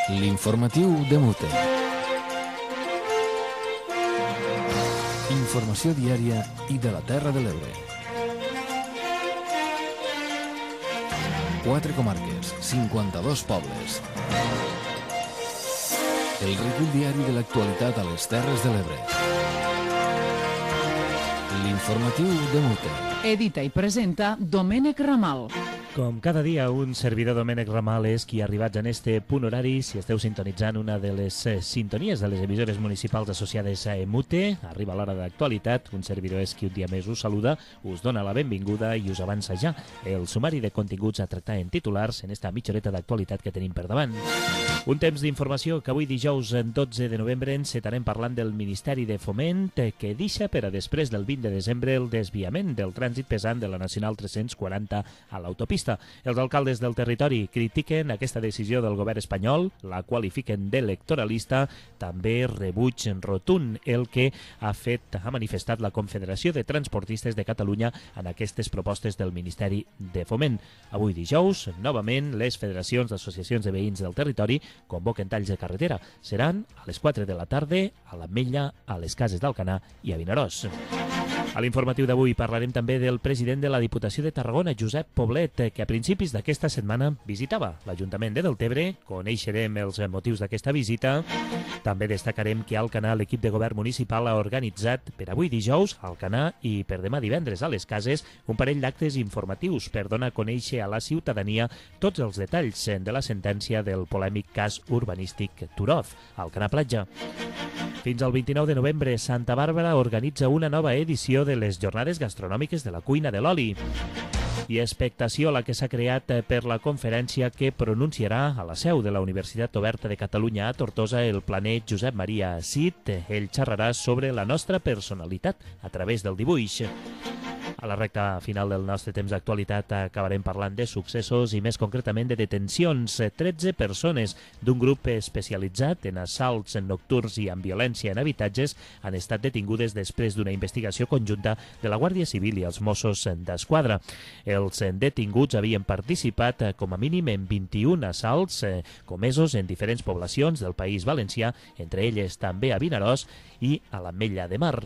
L'informatiu de Mute. Informació diària i de la Terra de l'Ebre. 4 comarques, 52 pobles. El recull diari de l'actualitat a les Terres de l'Ebre. L'informatiu de Mute. Edita i presenta Domènec Ramal. Com cada dia, un servidor Domènec Ramal és qui ha arribat en este punt horari. Si esteu sintonitzant una de les sintonies de les emissores municipals associades a EMUTE, arriba l'hora d'actualitat. Un servidor és qui un dia més us saluda, us dona la benvinguda i us avança ja el sumari de continguts a tractar en titulars en esta mitja horeta d'actualitat que tenim per davant. Un temps d'informació que avui dijous 12 de novembre encetarem parlant del Ministeri de Foment que deixa per a després del 20 de desembre el desviament del trànsit pesant de la Nacional 340 a l'autopista. Els alcaldes del territori critiquen aquesta decisió del govern espanyol, la qualifiquen d'electoralista, també rebuig rotund el que ha manifestat la Confederació de Transportistes de Catalunya en aquestes propostes del Ministeri de Foment. Avui dijous, novament, les federacions d'associacions de veïns del territori convoquen talls de carretera. Seran a les 4 de la tarda a l'Ametlla, a les Cases d'Alcanar i a Vinaròs. A l'informatiu d'avui parlarem també del president de la Diputació de Tarragona, Josep Poblet, que a principis d'aquesta setmana visitava l'Ajuntament de Deltebre. Coneixerem els motius d'aquesta visita. També destacarem que a Alcanar l'equip de govern municipal ha organitzat per avui dijous a Alcanar i per demà divendres a les Cases un parell d'actes informatius per donar a conèixer a la ciutadania tots els detalls de la sentència del polèmic cas urbanístic Turoz, a Alcanar Platja. Fins al 29 de novembre, Santa Bàrbara organitza una nova edició de les Jornades Gastronòmiques de la Cuina de l'Oli. I expectació la que s'ha creat per la conferència que pronunciarà a la seu de la Universitat Oberta de Catalunya a Tortosa el planer Josep Maria Cid. Ell xerrarà sobre la nostra personalitat a través del dibuix. A la recta final del nostre temps d'actualitat acabarem parlant de successos i més concretament de detencions. 13 persones d'un grup especialitzat en assalts nocturns i amb violència en habitatges han estat detingudes després d'una investigació conjunta de la Guàrdia Civil i els Mossos d'Esquadra. Els detinguts havien participat com a mínim en 21 assalts comesos en diferents poblacions del País Valencià, entre elles també a Vinaròs i a l'Ametlla de Mar.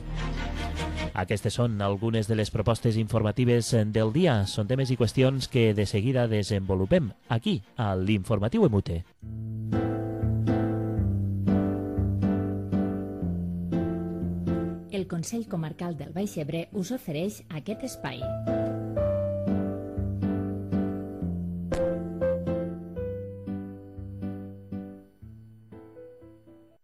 Aquestes són algunes de les propostes informatives del dia. Són temes i qüestions que de seguida desenvolupem aquí, a l'Informatiu EMUTE. El Consell Comarcal del Baix Ebre us ofereix aquest espai.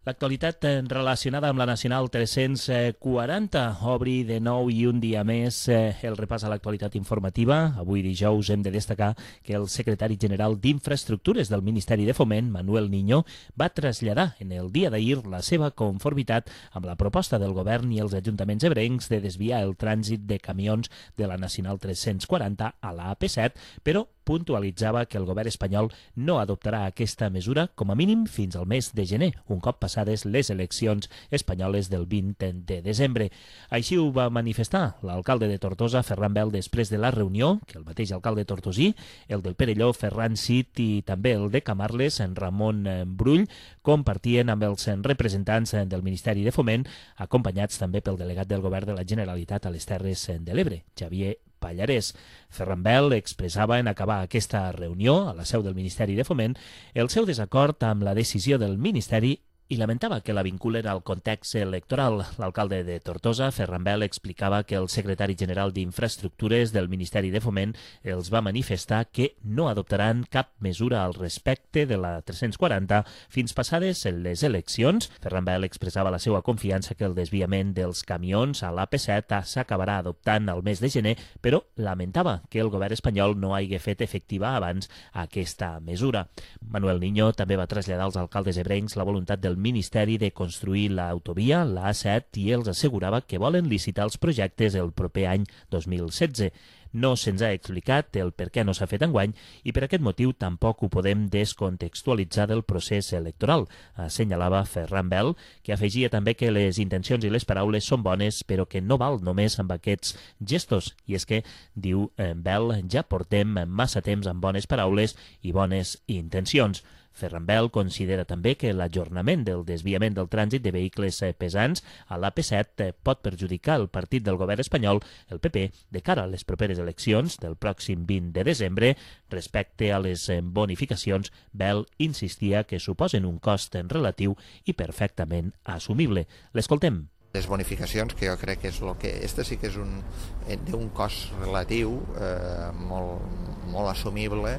L'actualitat relacionada amb la Nacional 340 obri de nou i un dia més el repàs a l'actualitat informativa. Avui dijous hem de destacar que el secretari general d'Infraestructures del Ministeri de Foment, Manuel Niño, va traslladar en el dia d'ahir la seva conformitat amb la proposta del govern i els ajuntaments ebrencs de desviar el trànsit de camions de la Nacional 340 a la AP7, però puntualitzava que el govern espanyol no adoptarà aquesta mesura com a mínim fins al mes de gener, un cop passades les eleccions espanyoles del 20 de desembre. Així ho va manifestar l'alcalde de Tortosa, Ferran Bel, després de la reunió que el mateix alcalde tortosí, el del Perelló, Ferran Cid, i també el de Camarles, en Ramon Brull, compartien amb els representants del Ministeri de Foment, acompanyats també pel delegat del govern de la Generalitat a les Terres de l'Ebre, Xavier Pallarès. Ferran Bel expressava en acabar aquesta reunió a la seu del Ministeri de Foment el seu desacord amb la decisió del Ministeri i lamentava que la vinculen al context electoral. L'alcalde de Tortosa, Ferran Bel, explicava que el secretari general d'Infraestructures del Ministeri de Foment els va manifestar que no adoptaran cap mesura al respecte de la 340 fins passades les eleccions. Ferran Bel expressava la seva confiança que el desviament dels camions a l'AP7 s'acabarà adoptant al mes de gener, però lamentava que el govern espanyol no hagi fet efectiva abans aquesta mesura. Manuel Niño també va traslladar als alcaldes ebrencs la voluntat del Ministeri de construir l'autovia, la A7, i els assegurava que volen licitar els projectes el proper any 2016. No se'ns ha explicat el per què no s'ha fet enguany i per aquest motiu tampoc ho podem descontextualitzar del procés electoral, assenyalava Ferran Bel, que afegia també que les intencions i les paraules són bones, però que no val només amb aquests gestos. I és que, diu Bel, ja portem massa temps amb bones paraules i bones intencions. Ferran Bel considera també que l'ajornament del desviament del trànsit de vehicles pesants a l'AP7 pot perjudicar el partit del govern espanyol, el PP, de cara a les properes eleccions del pròxim 20 de desembre. Respecte a les bonificacions, Bel insistia que suposen un cost relatiu i perfectament assumible. L'escoltem. Les bonificacions, que jo crec que és el que... Este sí que és d'un cost relatiu molt assumible.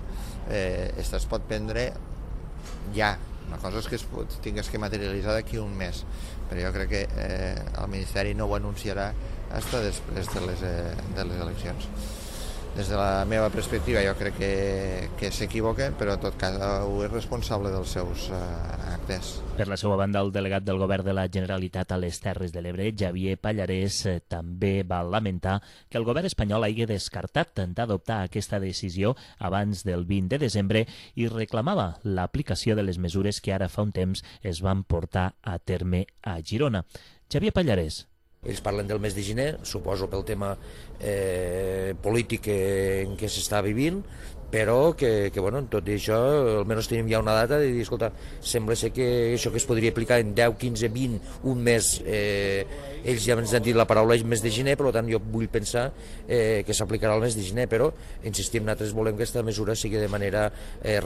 Este es pot prendre ja. Una cosa és que es tingués que materialitzar d'aquí un mes, però jo crec que el Ministeri no ho anunciarà fins després de les eleccions. Des de la meva perspectiva jo crec que s'equivoquen, però en tot cas ho és responsable dels seus actes. Per la seva banda, el delegat del govern de la Generalitat a les Terres de l'Ebre, Xavier Pallarès, també va lamentar que el govern espanyol hagi descartat d'adoptar aquesta decisió abans del 20 de desembre i reclamava l'aplicació de les mesures que ara fa un temps es van portar a terme a Girona. Xavier Pallarès. Ells parlen del mes de gener, suposo pel tema polític en què s'està vivint, però que bueno, tot i això almenys tenim ja una data de dir, escolta, sembla ser que això que es podria aplicar en 10, 15, 20, un mes, ells ja ens han dit la paraula mes de gener, per tant jo vull pensar que s'aplicarà el mes de gener, però insistim, nosaltres volem que aquesta mesura sigui de manera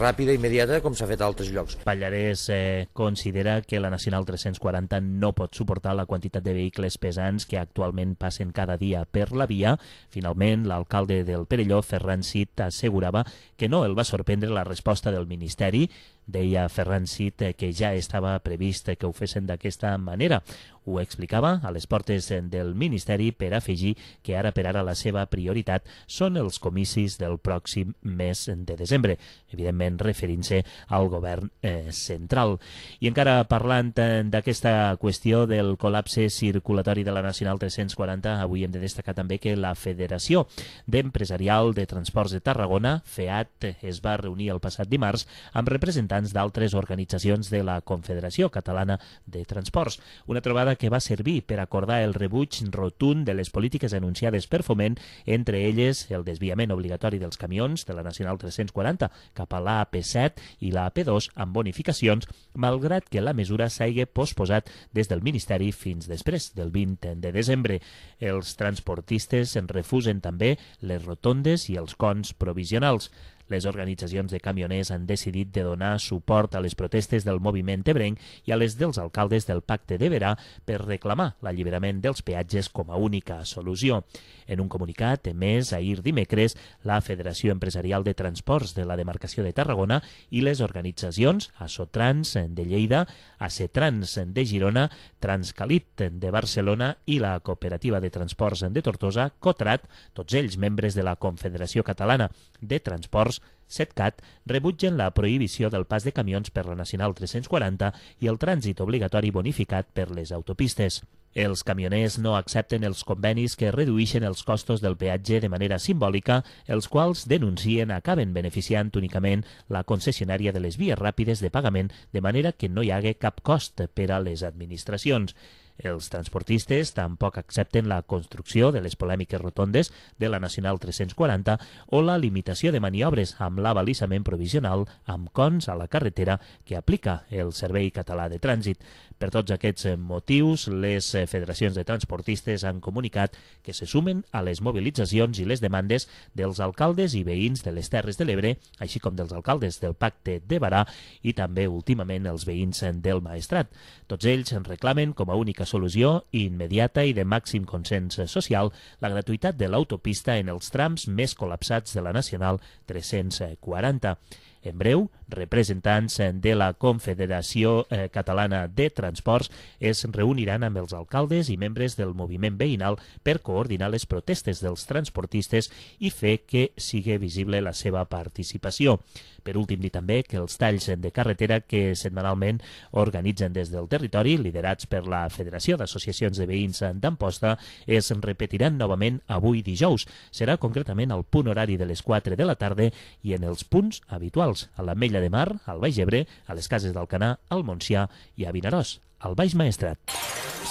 ràpida i immediata, com s'ha fet a altres llocs. Pallarès considera que la Nacional 340 no pot suportar la quantitat de vehicles pesants que actualment passen cada dia per la via. Finalment, l'alcalde del Perelló, Ferran Cid, assegurava que no el va sorprendre la resposta del Ministeri. Deia Ferran Cid que ja estava previst que ho fessin d'aquesta manera. Ho explicava a les portes del Ministeri per afegir que ara per ara la seva prioritat són els comicis del pròxim mes de desembre, evidentment referint-se al govern central. I encara parlant d'aquesta qüestió del col·lapse circulatori de la Nacional 340, avui hem de destacar també que la Federació d'Empresarial de Transports de Tarragona, FEAT, es va reunir el passat dimarts amb representants d'altres organitzacions de la Confederació Catalana de Transports. Una trobada que va servir per acordar el rebuig rotund de les polítiques anunciades per Foment, entre elles el desviament obligatori dels camions de la Nacional 340 cap a l'AP7 i l'AP2 amb bonificacions, malgrat que la mesura s'hagi posposat des del Ministeri fins després del 20 de desembre. Els transportistes en refusen també les rotondes i els cons provisionals. Les organitzacions de camioners han decidit de donar suport a les protestes del moviment ebrenc i a les dels alcaldes del Pacte de Verà per reclamar l'alliberament dels peatges com a única solució. En un comunicat emès ahir dimecres, la Federació Empresarial de Transports de la Demarcació de Tarragona i les organitzacions Asotrans de Lleida, Acetrans de Girona, Transcalit de Barcelona i la Cooperativa de Transports de Tortosa, Cotrat, tots ells membres de la Confederació Catalana de Transports, CETCAT, rebutgen la prohibició del pas de camions per la Nacional 340 i el trànsit obligatori bonificat per les autopistes. Els camioners no accepten els convenis que reduïxen els costos del peatge de manera simbòlica, els quals denuncien acaben beneficiant únicament la concessionària de les vies ràpides de pagament, de manera que no hi hagi cap cost per a les administracions. Els transportistes tampoc accepten la construcció de les polèmiques rotondes de la Nacional 340 o la limitació de maniobres amb l'abalisament provisional amb cons a la carretera que aplica el Servei Català de Trànsit. Per tots aquests motius, les federacions de transportistes han comunicat que se sumen a les mobilitzacions i les demandes dels alcaldes i veïns de les Terres de l'Ebre, així com dels alcaldes del Pacte de Verà i també últimament els veïns del Maestrat. Tots ells reclamen com a única solució immediata i de màxim consens social la gratuïtat de l'autopista en els trams més col·lapsats de la Nacional 340. En breu, representants de la Confederació Catalana de Transports es reuniran amb els alcaldes i membres del moviment veïnal per coordinar les protestes dels transportistes i fer que sigui visible la seva participació. Per últim, dir també que els talls de carretera que setmanalment organitzen des del territori, liderats per la Federació d'Associacions de Veïns d'Amposta, es repetiran novament avui dijous. Serà concretament al punt horari de les 4 de la tarda i en els punts habituals, a l'Ametlla de Mar, al Baix Ebre, a les Cases d'Alcanar, al Montsià i a Vinaròs, al Baix Maestrat.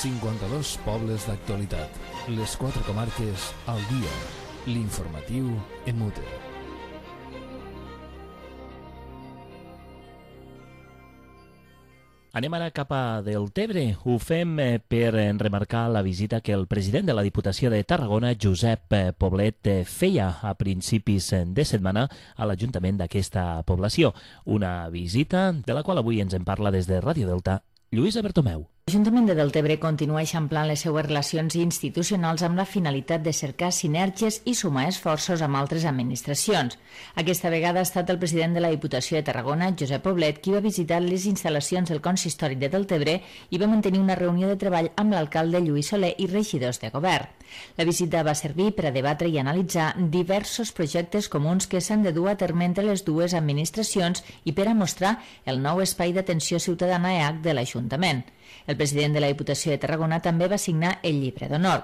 52 pobles d'actualitat. Les 4 comarques al dia. L'informatiu en Mute. Anem ara cap a Deltebre. Ho fem per remarcar la visita que el president de la Diputació de Tarragona, Josep Poblet, feia a principis de setmana a l'Ajuntament d'aquesta població. Una visita de la qual avui ens en parla des de Ràdio Delta, Lluïsa Bertomeu. L'Ajuntament de Deltebre continua eixamplant les seues relacions institucionals amb la finalitat de cercar sinergies i sumar esforços amb altres administracions. Aquesta vegada ha estat el president de la Diputació de Tarragona, Josep Poblet, qui va visitar les instal·lacions del Consistori de Deltebre i va mantenir una reunió de treball amb l'alcalde Lluís Soler i regidors de govern. La visita va servir per a debatre i analitzar diversos projectes comuns que s'han de dur a terme entre les dues administracions i per a mostrar el nou espai d'atenció ciutadana EAC de l'Ajuntament. El president de la Diputació de Tarragona també va signar el llibre d'honor.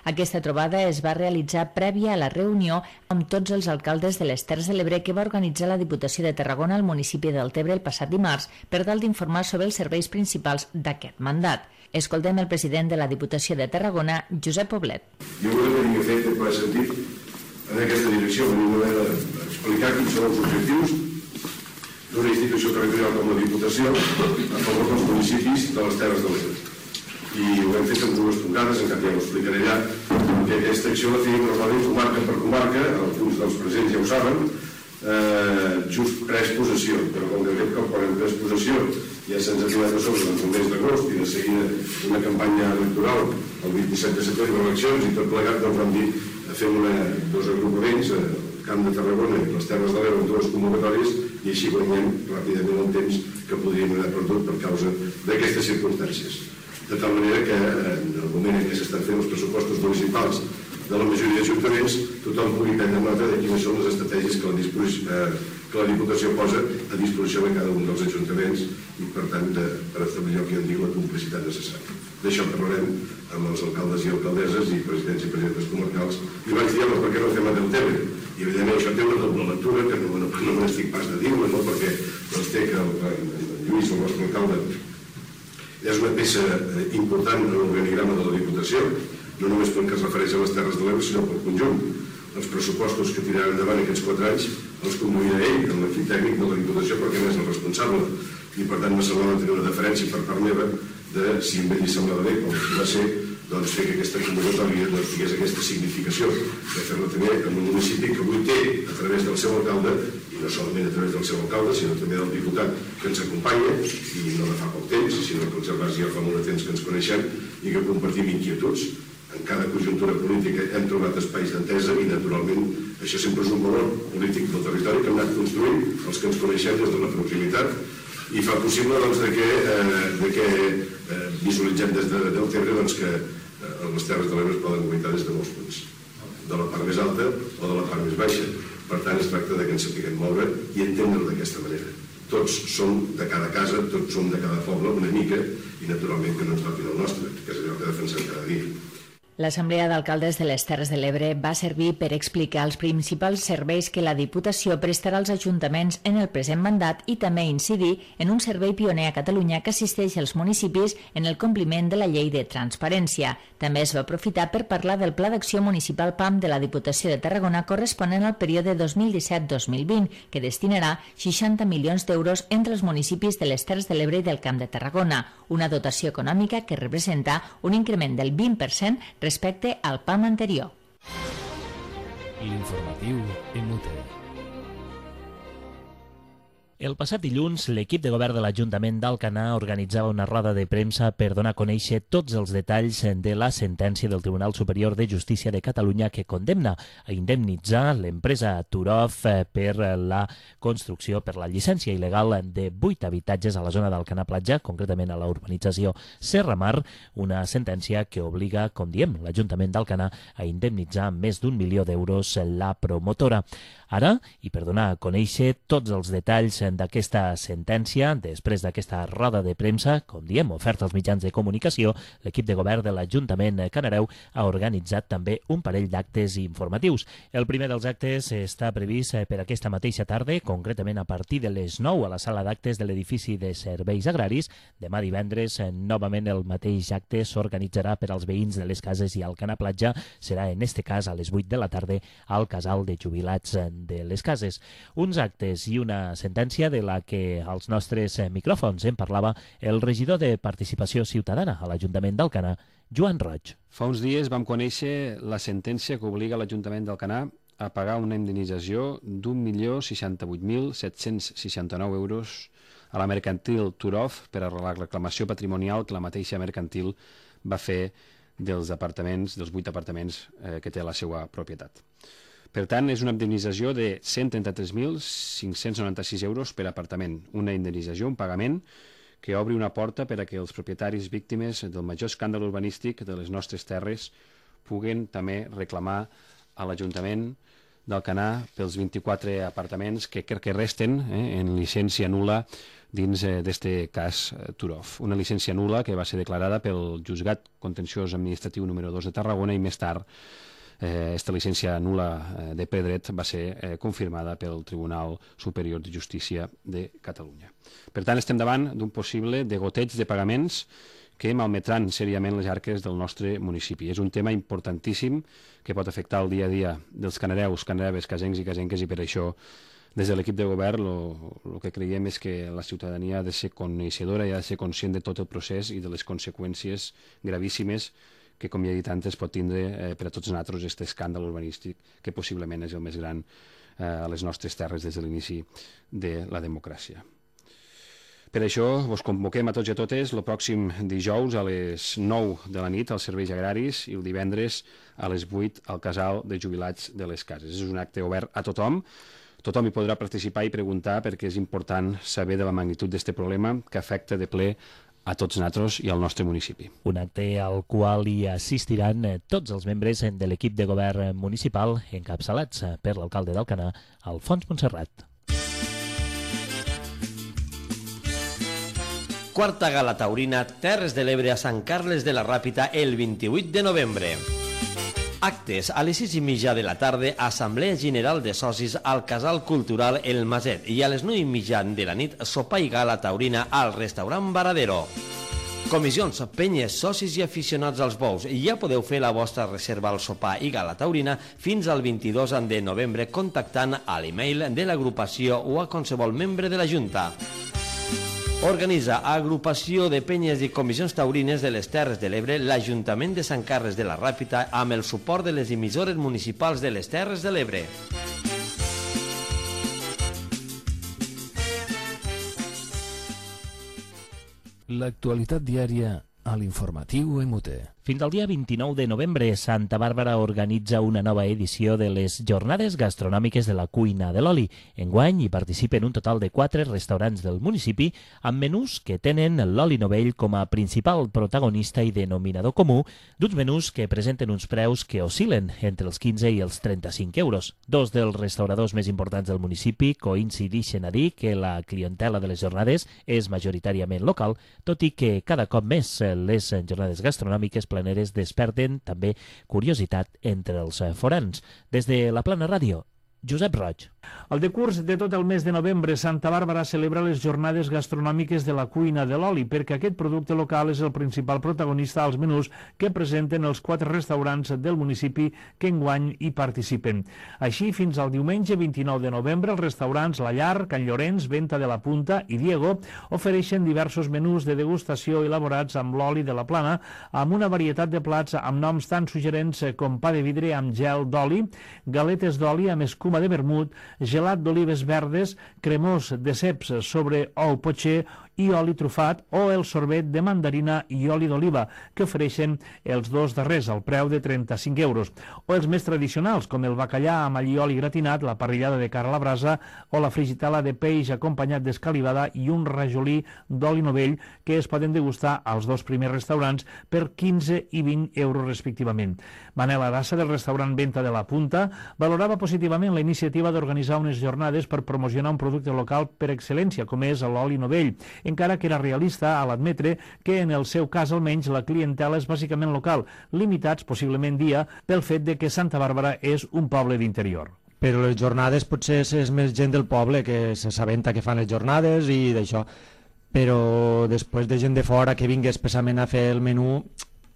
Aquesta trobada es va realitzar prèvia a la reunió amb tots els alcaldes de les Terres de l'Ebre que va organitzar la Diputació de Tarragona al municipi de Deltebre el passat dimarts per tal d'informar sobre els serveis principals d'aquest mandat. Escoltem el president de la Diputació de Tarragona, Josep Poblet. Jo crec que havia fet el ple sentit en aquesta direcció, explicar quins són els objectius d'una institució territorial com la Diputació a favor dels municipis de les Terres de l'Ebre. I ho hem fet en dues tongades, encara ja ho explicaré allà, que aquesta acció la feia normalment comarca per comarca, alguns dels presents ja ho saben, just pres possessió, però com de fet quan hem pres possessió ja se'ns ha tirat a sobre el mes d'agost i de seguida una campanya electoral el 27 de setembre d'eleccions i tot plegat doncs vam dir fem dos agrupaments Camp de Tarragona i les Terres de l'Ebre en dues convocatòries i així guanyem ràpidament el temps que podríem haver perdut per causa d'aquestes circumstàncies. De tal manera que en el moment en què s'estan fent els pressupostos municipals de la majoria d'ajuntaments, tothom pugui prendre nota de quines són les estratègies que la Diputació posa a disposició de cada un dels ajuntaments i, per tant, per establir el que en diu la complicitat necessària. D'això parlarem amb els alcaldes i alcaldesses i presidents i presidentes comarcals i vaig dir, per què no fem a Deltebre? I, evidentment, això té una doble lectura, que no me n'estic pas de dir-la, no? Perquè té que el Lluís, el nostre alcalde, és una peça important en l'organigrama de la Diputació, no només pel que es refereix a les Terres de l'Ebre, sinó pel conjunt. Els pressupostos que tiraran endavant aquests 4 anys els conduirà ell, amb l'equip tècnic de la Diputació, perquè n'és el responsable. I, per tant, me semblava tenir una deferència per part meva de, si a ell li semblava bé, com va ser, doncs fer que aquesta convocatòria tingués aquesta significació, de fer-la també en un municipi que avui té, a través del seu alcalde, i no solament a través del seu alcalde, sinó també del diputat que ens acompanya, i no de fa poc temps, sinó que els ja fa molt de temps que ens coneixem i que compartim inquietuds. En cada conjuntura política hem trobat espais d'entesa i, naturalment, això sempre és un valor polític del territori que hem anat construint, els que ens coneixem des de la proximitat, i fa possible que visualitzem des de Deltebre que les Terres de l'Ebre es poden guaitar des de molts punts, de la part més alta o de la part més baixa. Per tant, es tracta que ens sapiguem moure i entendre-ho d'aquesta manera. Tots som de cada casa, tots som de cada poble una mica i, naturalment, que no ens toquin el nostre, que és allò que defensem cada dia. L'Assemblea d'Alcaldes de les Terres de l'Ebre va servir per explicar els principals serveis que la Diputació prestarà als ajuntaments en el present mandat i també incidir en un servei pioner a Catalunya que assisteix als municipis en el compliment de la llei de transparència. També es va aprofitar per parlar del Pla d'Acció Municipal PAM de la Diputació de Tarragona corresponent al període 2017-2020, que destinarà 60 milions d'euros entre els municipis de les Terres de l'Ebre i del Camp de Tarragona, una dotació econòmica que representa un increment del 20% respecte al PAM anterior. L'informatiu en Mute. El passat dilluns, l'equip de govern de l'Ajuntament d'Alcanar organitzava una roda de premsa per donar a conèixer tots els detalls de la sentència del Tribunal Superior de Justícia de Catalunya que condemna a indemnitzar l'empresa Turov per la construcció, per la llicència il·legal de 8 habitatges a la zona d'Alcanar Platja, concretament a la urbanització Serra Mar, una sentència que obliga, com diem, l'Ajuntament d'Alcanar a indemnitzar amb més d'1 milió d'euros la promotora. Ara, i per donar a conèixer tots els detalls d'aquesta sentència, després d'aquesta roda de premsa, com diem, oferta als mitjans de comunicació, l'equip de govern de l'Ajuntament Canareu ha organitzat també un parell d'actes informatius. El primer dels actes està previst per aquesta mateixa tarda, concretament a partir de les 9 a la sala d'actes de l'edifici de Serveis Agraris. Demà divendres, novament el mateix acte s'organitzarà per als veïns de les cases i Alcanar Platja. Serà, en este cas, a les 8 de la tarda al casal de jubilats de les cases. Uns actes i una sentència de la que als nostres micròfons en parlava el regidor de Participació Ciutadana a l'Ajuntament d'Alcanar, Joan Roig. Fa uns dies vam conèixer la sentència que obliga l'Ajuntament d'Alcanar a pagar una indemnització d'1.068.769 euros a la mercantil Turov per a la reclamació patrimonial que la mateixa mercantil va fer dels 8 apartaments que té a la seva propietat. Per tant, és una indemnització de 133.596 euros per apartament. Una indemnització, un pagament, que obri una porta per a que els propietaris víctimes del major escàndol urbanístic de les nostres terres puguen també reclamar a l'Ajuntament d'Alcanar pels 24 apartaments que resten en llicència nul·la dins d'este cas Turov. Una llicència nul·la que va ser declarada pel Juzgat Contenciós Administratiu número 2 de Tarragona i més tard esta llicència nul·la de ple dret va ser confirmada pel Tribunal Superior de Justícia de Catalunya. Per tant, estem davant d'un possible degoteig de pagaments que malmetran seriament les arques del nostre municipi. És un tema importantíssim que pot afectar el dia a dia dels canareus, canareves, casencs i casenques, i per això des de l'equip de govern el que creiem és que la ciutadania ha de ser coneixedora i ha de ser conscient de tot el procés i de les conseqüències gravíssimes que, com ja he dit antes, pot tindre per a tots nosaltres aquest escàndol urbanístic que possiblement és el més gran a les nostres terres des de l'inici de la democràcia. Per això vos convoquem a tots i a totes el pròxim dijous a les 9 de la nit als serveis agraris i el divendres a les 8 al casal de jubilats de les cases. És un acte obert a tothom. Tothom hi podrà participar i preguntar perquè és important saber de la magnitud d'aquest problema que afecta de ple a tots nosaltres i al nostre municipi. Un acte al qual hi assistiran tots els membres de l'equip de govern municipal encapçalats per l'alcalde d'Alcanar, Alfons Montserrat. Quarta Gala Taurina Terres de l'Ebre a Sant Carles de la Ràpita el 28 de novembre. Actes a les 6:30 de la tarda, Assemblea General de Socis al Casal Cultural El Maset, i a les 9:30 de la nit, sopar i gala taurina al restaurant Varadero. Comissions, penyes, socis i aficionats als bous, ja podeu fer la vostra reserva al sopar i gala taurina fins al 22 de novembre contactant a l'email de l'agrupació o a qualsevol membre de la Junta. Organitza Agrupació de Penyes i Comissions Taurines de les Terres de l'Ebre l'Ajuntament de Sant Carles de la Ràpita amb el suport de les emissores municipals de les Terres de l'Ebre. L'actualitat diària a l'informatiu EMUTE. Fins al dia 29 de novembre, Santa Bàrbara organitza una nova edició de les Jornades Gastronòmiques de la Cuina de l'Oli. Enguany hi participen un total de 4 restaurants del municipi amb menús que tenen l'oli novell com a principal protagonista i denominador comú, d'uns menús que presenten uns preus que oscil·len entre els 15 i els 35 euros. Dos dels restauradors més importants del municipi coincidixen a dir que la clientela de les jornades és majoritàriament local, tot i que cada cop més les jornades gastronòmiques planeres desperten també curiositat entre els forans. Des de la Plana Ràdio, Josep Roig. El decurs de tot el mes de novembre, Santa Bàrbara celebra les jornades gastronòmiques de la cuina de l'oli, perquè aquest producte local és el principal protagonista als menús que presenten els 4 restaurants del municipi que enguany hi participen. Així, fins al diumenge 29 de novembre, els restaurants La Llar, Can Llorenç, Venta de la Punta i Diego ofereixen diversos menús de degustació elaborats amb l'oli de la Plana, amb una varietat de plats amb noms tan suggerents com pa de vidre amb gel d'oli, galetes d'oli amb escuma de vermut, gelat d'olives verdes, cremós de ceps sobre ou potxer i oli trufat, o el sorbet de mandarina i oli d'oliva, que ofereixen els dos darrers al preu de 35 euros. O els més tradicionals, com el bacallà amb allioli gratinat, la parrillada de carn a la brasa o la frigitela de peix acompanyat d'escalivada i un rajolí d'oli novell, que es poden degustar als dos primers restaurants per 15 i 20 euros respectivament. Manel Arassa, del restaurant Venta de la Punta, valorava positivament la iniciativa d'organitzar unes jornades per promocionar un producte local per excel·lència, com és l'oli novell, encara que era realista a l'admetre que en el seu cas almenys la clientela és bàsicament local, limitats possiblement dia pel fet de que Santa Bàrbara és un poble d'interior. Però les jornades potser és més gent del poble que s'assabenta que fan les jornades i d'això, però després de gent de fora que vingui expressament a fer el menú,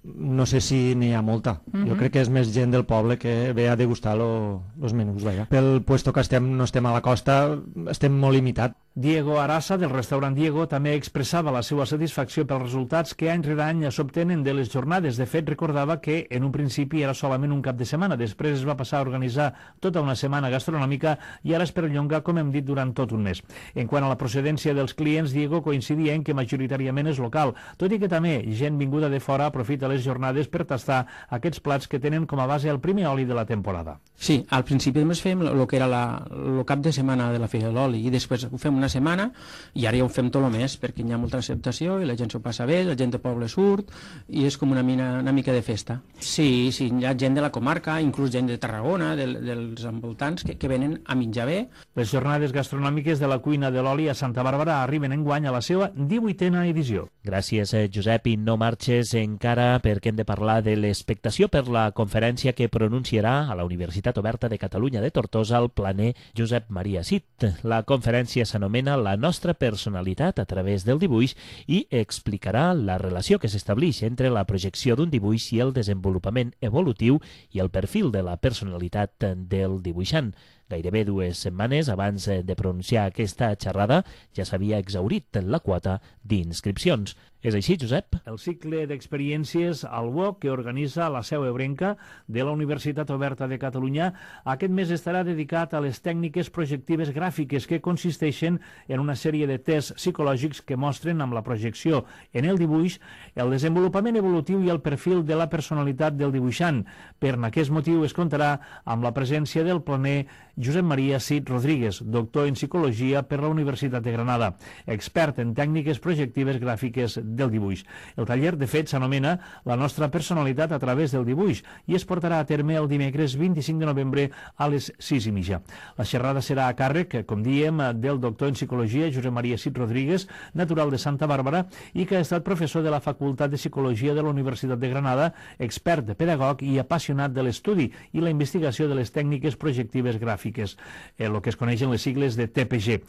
no sé si n'hi ha molta. Jo crec que és més gent del poble que ve a degustar els menús. Pel puesto que no estem a la costa, estem molt limitats. Diego Arassa, del restaurant Diego, també expressava la seva satisfacció pels resultats que any rere any s'obtenen de les jornades. De fet, recordava que en un principi era solament un cap de setmana, després es va passar a organitzar tota una setmana gastronòmica i ara es perllonga, com hem dit, durant tot un mes. En quant a la procedència dels clients, Diego coincidia en que majoritàriament és local, tot i que també gent vinguda de fora aprofita les jornades per tastar aquests plats que tenen com a base el primer oli de la temporada. Sí, al principi només fem el que era el cap de setmana de la Fira de l'Oli i després ho fem una setmana i ara ja ho fem tot el mes perquè hi ha molta acceptació i la gent s'ho passa bé, la gent del poble surt i és com una mica de festa. Sí, hi ha gent de la comarca, inclús gent de Tarragona, dels envoltants que venen a menjar bé. Les jornades gastronòmiques de la cuina de l'oli a Santa Bàrbara arriben enguany a la seva 18a edició. Gràcies, Josep, i no marxes encara perquè hem de parlar de l'expectació per la conferència que pronunciarà a la Universitat Oberta de Catalunya de Tortosa el planer Josep Maria Cid. La conferència s'anomena La nostra personalitat a través del dibuix i explicarà la relació que s'estableix entre la projecció d'un dibuix i el desenvolupament evolutiu i el perfil de la personalitat del dibuixant. Gairebé 2 setmanes abans de pronunciar aquesta xerrada ja s'havia exhaurit la quota d'inscripcions. És així, Josep? El cicle d'experiències al UOC que organitza la seu ebrenca de la Universitat Oberta de Catalunya aquest mes estarà dedicat a les tècniques projectives gràfiques que consisteixen en una sèrie de tests psicològics que mostren amb la projecció en el dibuix el desenvolupament evolutiu i el perfil de la personalitat del dibuixant. Per aquest motiu es comptarà amb la presència del planer Josep Maria Cid Rodríguez, doctor en psicologia per la Universitat de Granada, expert en tècniques projectives gràfiques del dibuix. El taller, de fet, s'anomena La nostra personalitat a través del dibuix i es portarà a terme el dimecres 25 de novembre a les 6:30. La xerrada serà a càrrec, com diem, del doctor en psicologia Josep Maria Cid Rodríguez, natural de Santa Bàrbara i que ha estat professor de la Facultat de Psicologia de la Universitat de Granada, expert, pedagog i apassionat de l'estudi i la investigació de les tècniques projectives gràfiques, el que es coneixen les sigles de TPG.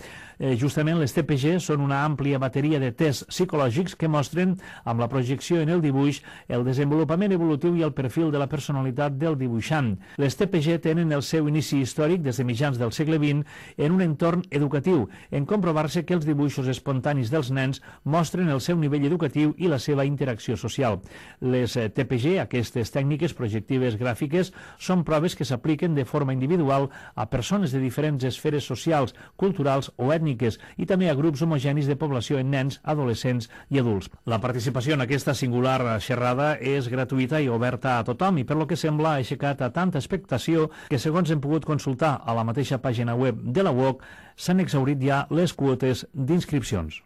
Justament les TPG són una àmplia bateria de tests psicològics que mostren, amb la projecció en el dibuix, el desenvolupament evolutiu i el perfil de la personalitat del dibuixant. Les TPG tenen el seu inici històric des de mitjans del segle XX en un entorn educatiu, en comprovar-se que els dibuixos espontanis dels nens mostren el seu nivell educatiu i la seva interacció social. Les TPG, aquestes tècniques projectives gràfiques, són proves que s'apliquen de forma individual a persones de diferents esferes socials, culturals o ètniques i també a grups homogenis de població en nens, adolescents i adults. La participació en aquesta singular xerrada és gratuïta i oberta a tothom i per lo que sembla ha aixecat a tanta expectació que, segons hem pogut consultar a la mateixa pàgina web de la UOC, s'han exhaurit ja les quotes d'inscripcions.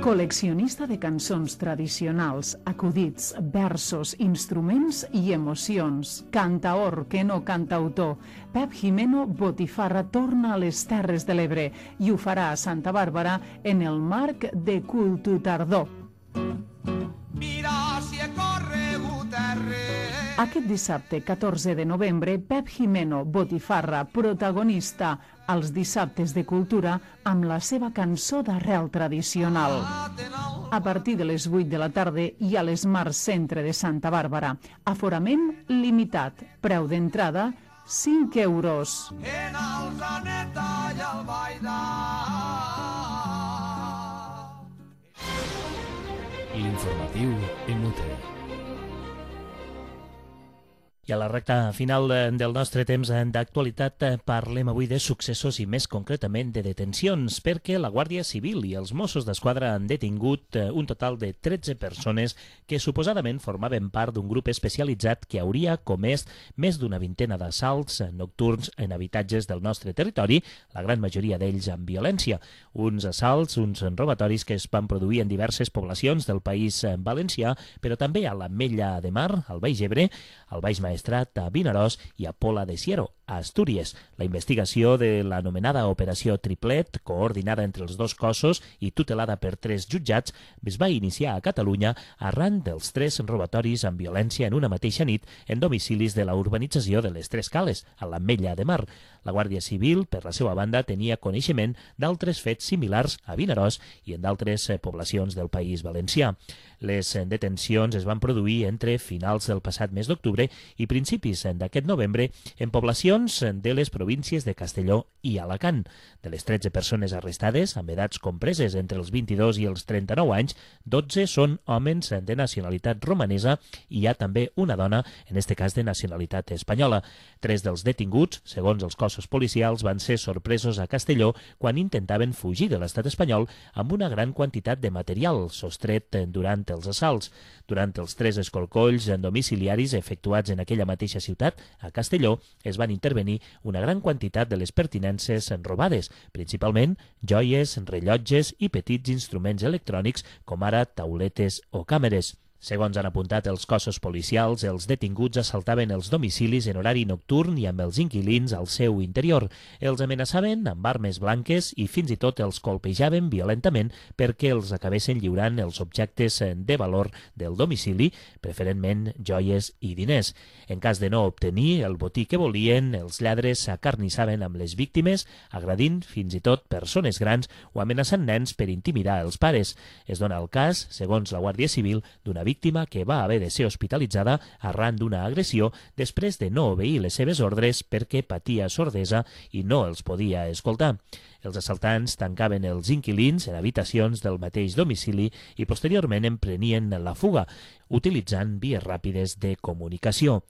Col·leccionista de cançons tradicionals, acudits, versos, instruments i emocions. Cantaor, que no cantautor. Pep Jimeno Botifarra torna a les Terres de l'Ebre i ho farà a Santa Bàrbara en el marc de Cultu Tardor. Mira si he corregut Aquest dissabte 14 de novembre, Pep Jimeno Botifarra, protagonista als dissabtes de cultura amb la seva cançó d'arrel tradicional. A partir de les 8 de la tarda i a l'Esmart Centre de Santa Bàrbara. Aforament limitat. Preu d'entrada 5 euros. En el Zaneta i el Baida. L'informatiu en Mutre. I a la recta final del nostre temps d'actualitat parlem avui de successos i més concretament de detencions, perquè la Guàrdia Civil i els Mossos d'Esquadra han detingut un total de 13 persones que suposadament formaven part d'un grup especialitzat que hauria comès més d'una vintena d'assalts nocturns en habitatges del nostre territori, la gran majoria d'ells amb violència. Uns assalts, uns robatoris que es van produir en diverses poblacions del país valencià, però també a l'Ametlla de Mar, al Baix Ebre, al Baix Maestrat, a Vinaròs i a Pola de Siero, a Astúries. La investigació de l'anomenada Operació Triplet, coordinada entre els dos cossos i tutelada per 3 jutjats, es va iniciar a Catalunya arran dels 3 robatoris amb violència en una mateixa nit en domicilis de la urbanització de les Tres Cales, a l'Ametlla de Mar. La Guàrdia Civil, per la seva banda, tenia coneixement d'altres fets similars a Vinaròs i en d'altres poblacions del País Valencià. Les detencions es van produir entre finals del passat mes d'octubre i principis d'aquest novembre en poblacions de les províncies de Castelló i Alacant. De les 13 persones arrestades, amb edats compreses entre els 22 i els 39 anys, 12 són homes de nacionalitat romanesa i hi ha també una dona, en este cas de nacionalitat espanyola. 3 dels detinguts, segons els cossos policials, van ser sorpresos a Castelló quan intentaven fugir de l'estat espanyol amb una gran quantitat de material sostret durant els assalts. Durant els 3 escorcolls domiciliaris efectuats en aquella mateixa ciutat, a Castelló, es van intervenir una gran quantitat de les pertinences robades, principalment joies, rellotges i petits instruments electrònics com ara tauletes o càmeres. Segons han apuntat els cossos policials, els detinguts assaltaven els domicilis en horari nocturn i amb els inquilins al seu interior. Els amenaçaven amb armes blanques i fins i tot els colpejaven violentament perquè els acabessin lliurant els objectes de valor del domicili, preferentment joies i diners. En cas de no obtenir el botí que volien, els lladres s'acarnissaven amb les víctimes, agredint fins i tot persones grans o amenaçant nens per intimidar els pares. Es dona el cas, segons la Guàrdia Civil, d'una víctima que va haver de ser hospitalitzada arran d'una agressió després de no obeir les seves ordres perquè patia sordesa i no els podia escoltar. Els assaltants tancaven els inquilins en habitacions del mateix domicili i posteriorment emprenien la fuga, utilitzant vies ràpides de comunicació.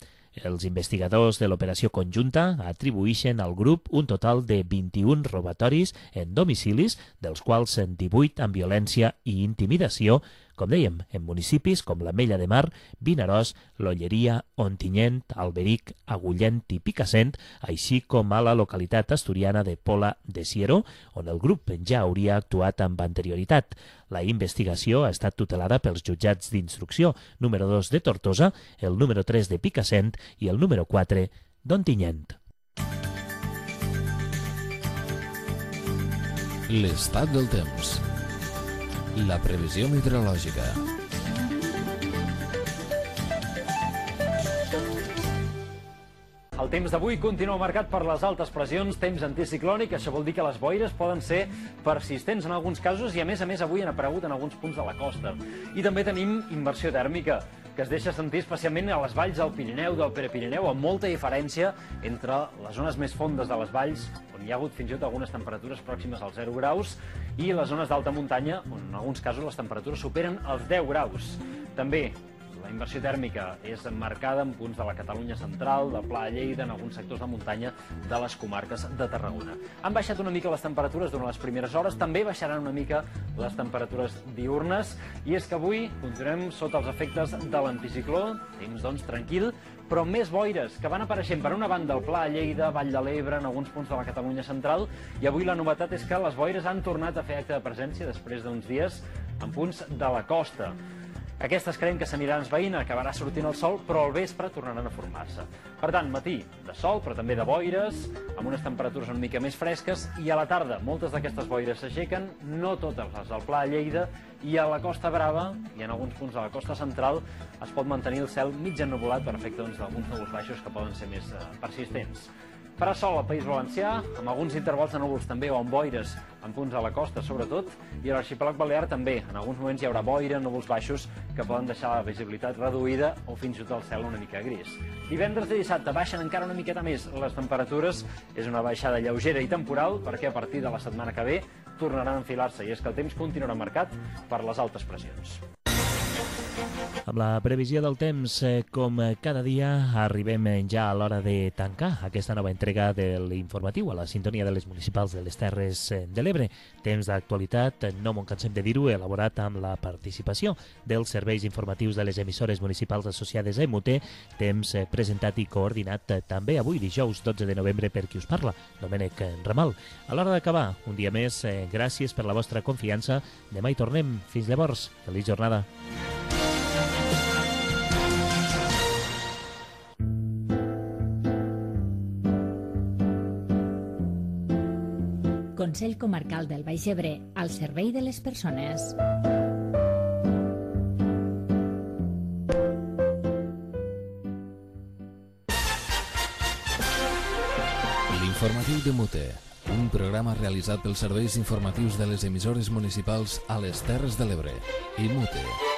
Els investigadors de l'operació conjunta atribueixen al grup un total de 21 robatoris en domicilis, dels quals 18 amb violència i intimidació, com dèiem, en municipis com l'Ametlla de Mar, Vinaròs, l'Olleria, Ontinyent, Alberic, Agullent i Picassent, així com a la localitat asturiana de Pola de Siero, on el grup ja hauria actuat amb anterioritat. La investigació ha estat tutelada pels jutjats d'instrucció número 2 de Tortosa, el número 3 de Picassent i el número 4 d'Ontinyent. L'estat del temps. La previsió meteorològica. El temps d'avui continua marcat per les altes pressions, temps anticiclònic, això vol dir que les boires poden ser persistents en alguns casos i a més avui han aparegut en alguns punts de la costa. I també tenim inversió tèrmica, que es deixa sentir especialment a les valls del Pirineu, del Prepirineu, amb molta diferència entre les zones més fondes de les valls, on hi ha hagut fins i tot algunes temperatures pròximes als 0 graus, i les zones d'alta muntanya, on en alguns casos les temperatures superen els 10 graus. També la inversió tèrmica és marcada en punts de la Catalunya central, de Pla de Lleida, en alguns sectors de muntanya de les comarques de Tarragona. Han baixat una mica les temperatures durant les primeres hores, també baixaran una mica les temperatures diürnes, i és que avui continuem sota els efectes de l'anticicló, temps doncs tranquil, però més boires que van apareixent per una banda al Pla de Lleida, Vall de l'Ebre, en alguns punts de la Catalunya central, i avui la novetat és que les boires han tornat a fer acte de presència després d'uns dies en punts de la costa. Aquestes creiem que s'aniran esvaint, acabarà sortint el sol, però al vespre tornaran a formar-se. Per tant, matí de sol, però també de boires, amb unes temperatures una mica més fresques, i a la tarda moltes d'aquestes boires s'aixequen, no totes les del Pla de Lleida, i a la Costa Brava, i en alguns punts de la costa central, es pot mantenir el cel mig ennuvolat per efecte d'alguns núvols baixos que poden ser més persistents. Farà sol al País Valencià, amb alguns intervals de núvols també o amb boires en punts a la costa, sobretot, i a l'arxipèlag balear també. En alguns moments hi haurà boira, núvols baixos, que poden deixar la visibilitat reduïda o fins i tot el cel una mica gris. Divendres i dissabte baixen encara una miqueta més les temperatures. És una baixada lleugera i temporal, perquè a partir de la setmana que ve tornaran a enfilar-se, i és que el temps continuarà marcat per les altes pressions. Amb la previsió del temps, com cada dia, arribem ja a l'hora de tancar aquesta nova entrega de l'informatiu a la sintonia de les municipals de les Terres de l'Ebre. Temps d'actualitat, no m'ho cansem de dir-ho, elaborat amb la participació dels serveis informatius de les emissores municipals associades a EMUTE, temps presentat i coordinat també avui, dijous 12 de novembre, per qui us parla, Domènec Ramal. A l'hora d'acabar, un dia més, gràcies per la vostra confiança. Demà hi tornem. Fins llavors, feliç jornada. Consell Comarcal del Baix Ebre, al servei de les persones. L'informatiu d'EMUTE, un programa realitzat pels serveis informatius de les emissores municipals a les Terres de l'Ebre. EMUTE.